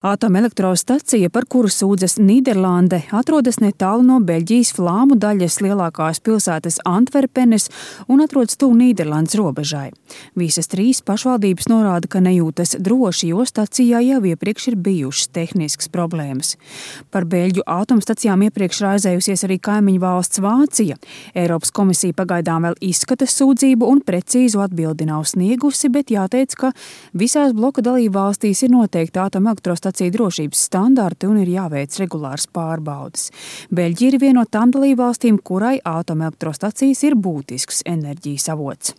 Atomelektrostacija, par kuru sūdzas Nīderlande, atrodas netālu no Beļģijas flāmu daļas lielākās pilsētas Antverpenes un atrodas tuvu Nīderlandes robežai. Visas trīs pašvaldības norāda, ka nejūtas droši, jo stacijā jau iepriekš ir bijušas tehniskas problēmas. Par Beļģu atomstacijām iepriekš raizējusies arī kaimiņu valsts Vācija. Eiropas komisija pagaidām vēl izskata sūdzību un precīzu atbildi nav sniegusi, bet jāteic, ka visās bloka dalībvalstīs ir noteikti atomelektrostaciju drošības standarti un ir jāveic regulāras pārbaudes. Beļģija ir viena no tām dalībvalstīm, kurai atomelektrostacijas ir būtisks enerģijas avots.